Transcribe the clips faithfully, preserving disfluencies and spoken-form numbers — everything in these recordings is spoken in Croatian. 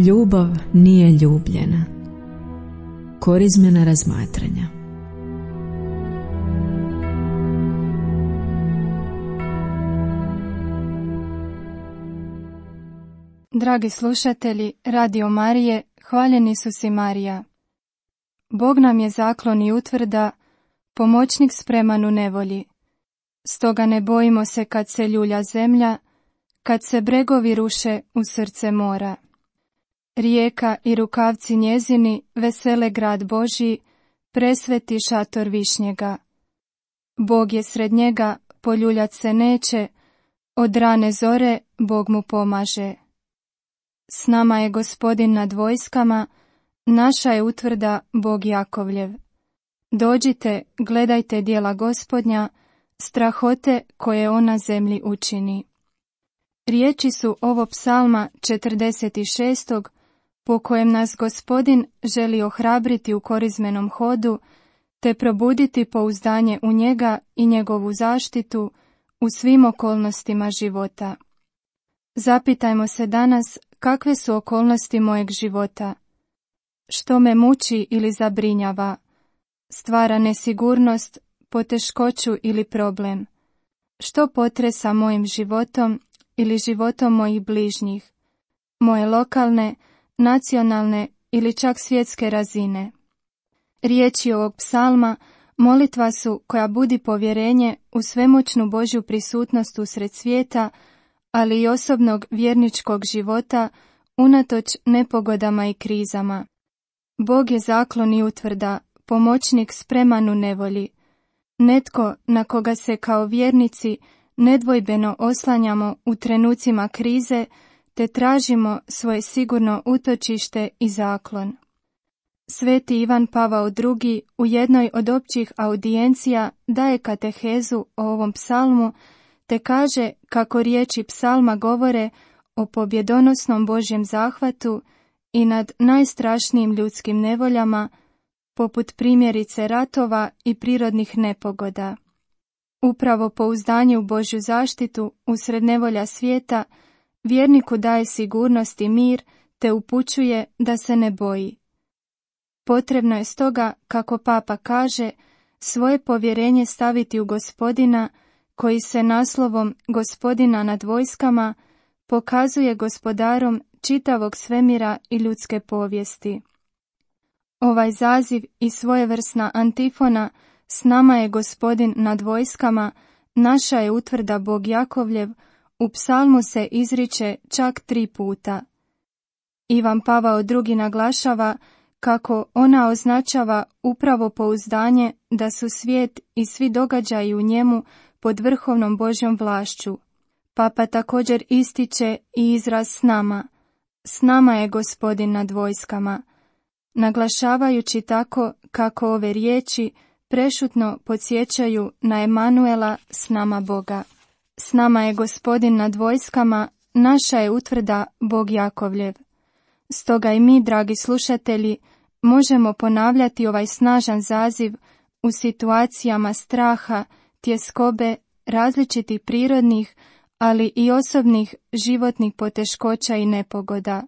Ljubav nije ljubljena. Korizmena razmatranja. Dragi slušatelji Radio Marije, hvaljeni su si Marija. Bog nam je zaklon i utvrda, pomoćnik spreman u nevolji. Stoga ne bojimo se kad se ljulja zemlja, kad se bregovi ruše u srce mora. Rijeka i rukavci njezini vesele grad Božji, presveti šator višnjega. Bog je sred njega, poljuljat se neće, od rane zore Bog mu pomaže. S nama je Gospodin nad vojskama, naša je utvrda Bog Jakovljev. Dođite, gledajte djela Gospodnja, strahote koje on na zemlji učini. Riječi su ovo psalma četrdeset šest. po kojem nas Gospodin želi ohrabriti u korizmenom hodu, te probuditi pouzdanje u njega i njegovu zaštitu u svim okolnostima života. Zapitajmo se danas kakve su okolnosti mojeg života. Što me muči ili zabrinjava? Stvara nesigurnost, poteškoću ili problem? Što potresa mojim životom ili životom mojih bližnjih? Moje lokalne, nacionalne ili čak svjetske razine. Riječi ovog psalma molitva su koja budi povjerenje u svemoćnu Božju prisutnost usred svijeta, ali i osobnog vjerničkog života unatoč nepogodama i krizama. Bog je zaklon i utvrda, pomoćnik spreman u nevolji. Netko na koga se kao vjernici nedvojbeno oslanjamo u trenucima krize, te tražimo svoje sigurno utočište i zaklon. Sveti Ivan Pavao drugi u jednoj od općih audijencija daje katehezu o ovom psalmu, te kaže kako riječi psalma govore o pobjedonosnom Božjem zahvatu i nad najstrašnijim ljudskim nevoljama, poput primjerice ratova i prirodnih nepogoda. Upravo pouzdanje u Božju zaštitu usred nevolja svijeta vjerniku daje sigurnost i mir, te upućuje da se ne boji. Potrebno je stoga, kako Papa kaže, svoje povjerenje staviti u Gospodina, koji se naslovom Gospodina nad vojskama pokazuje gospodarom čitavog svemira i ljudske povijesti. Ovaj zaziv i svojevrsna antifona s nama je Gospodin nad vojskama, naša je utvrda Bog Jakovljev, u psalmu se izriče čak tri puta. Ivan Pavao drugi naglašava kako ona označava upravo pouzdanje da su svijet i svi događaji u njemu pod vrhovnom Božjom vlašću. Papa također ističe i izraz s nama. S nama je Gospodin nad vojskama, naglašavajući tako kako ove riječi prešutno podsjećaju na Emanuela, s nama Boga. S nama je Gospodin nad vojskama, naša je utvrda Bog Jakovljev. Stoga i mi, dragi slušatelji, možemo ponavljati ovaj snažan zaziv u situacijama straha, tjeskobe, različitih prirodnih, ali i osobnih životnih poteškoća i nepogoda.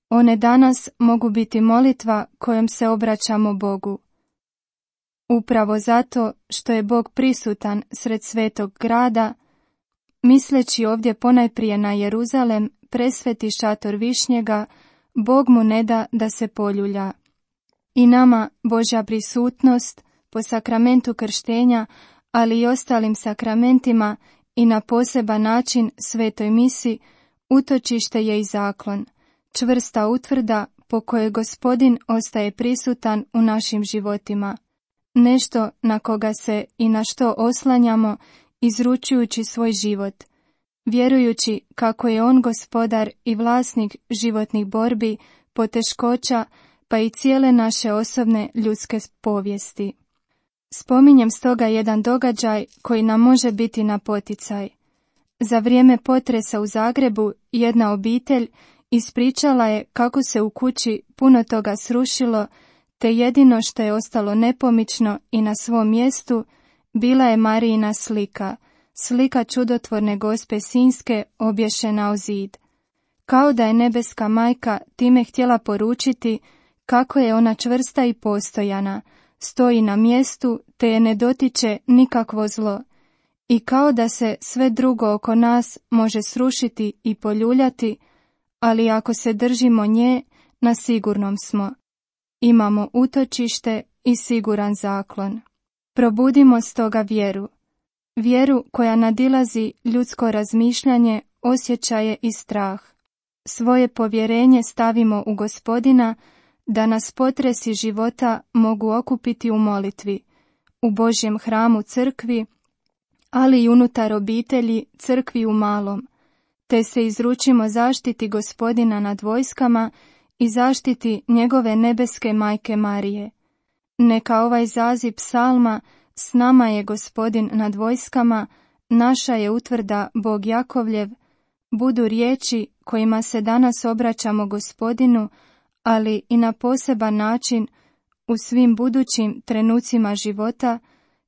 One danas mogu biti molitva kojom se obraćamo Bogu. Upravo zato što je Bog prisutan sred svetog grada, misleći ovdje ponajprije na Jeruzalem, presveti šator višnjega, Bog mu ne da da se poljulja. I nama Božja prisutnost po sakramentu krštenja, ali i ostalim sakramentima i na poseban način svetoj misi, utočište je i zaklon, čvrsta utvrda po kojoj Gospodin ostaje prisutan u našim životima. Nešto na koga se i na što oslanjamo, izručujući svoj život, vjerujući kako je on gospodar i vlasnik životnih borbi, poteškoća, pa i cijele naše osobne ljudske povijesti. Spominjem stoga jedan događaj koji nam može biti na poticaj. Za vrijeme potresa u Zagrebu jedna obitelj ispričala je kako se u kući puno toga srušilo, te jedino što je ostalo nepomično i na svom mjestu bila je Marijina slika, slika čudotvorne Gospe Sinjske obješena o zid. Kao da je nebeska majka time htjela poručiti kako je ona čvrsta i postojana, stoji na mjestu te je ne dotiče nikakvo zlo. I kao da se sve drugo oko nas može srušiti i poljuljati, ali ako se držimo nje, na sigurnom smo. Imamo utočište i siguran zaklon. Probudimo stoga vjeru. Vjeru koja nadilazi ljudsko razmišljanje, osjećaje i strah. Svoje povjerenje stavimo u Gospodina, da nas potresi života mogu okupiti u molitvi, u Božjem hramu crkvi, ali i unutar obitelji crkvi u malom, te se izručimo zaštiti Gospodina nad vojskama i zaštiti njegove nebeske majke Marije. Neka ovaj zaziv psalma s nama je Gospodin nad vojskama, naša je utvrda Bog Jakovljev, budu riječi kojima se danas obraćamo Gospodinu, ali i na poseban način u svim budućim trenucima života,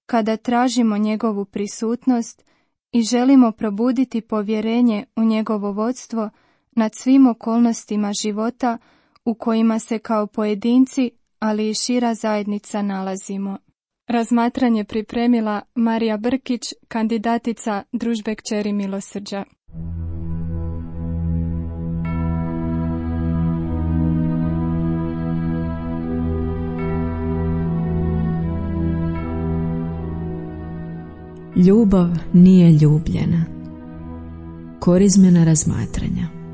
kada tražimo njegovu prisutnost i želimo probuditi povjerenje u njegovo vodstvo nad svim okolnostima života u kojima se kao pojedinci, ali i šira zajednica nalazimo. Razmatranje pripremila Marija Brkić, kandidatica Družbe kćeri milosrđa. Ljubav nije ljubljena. Korizmena razmatranja.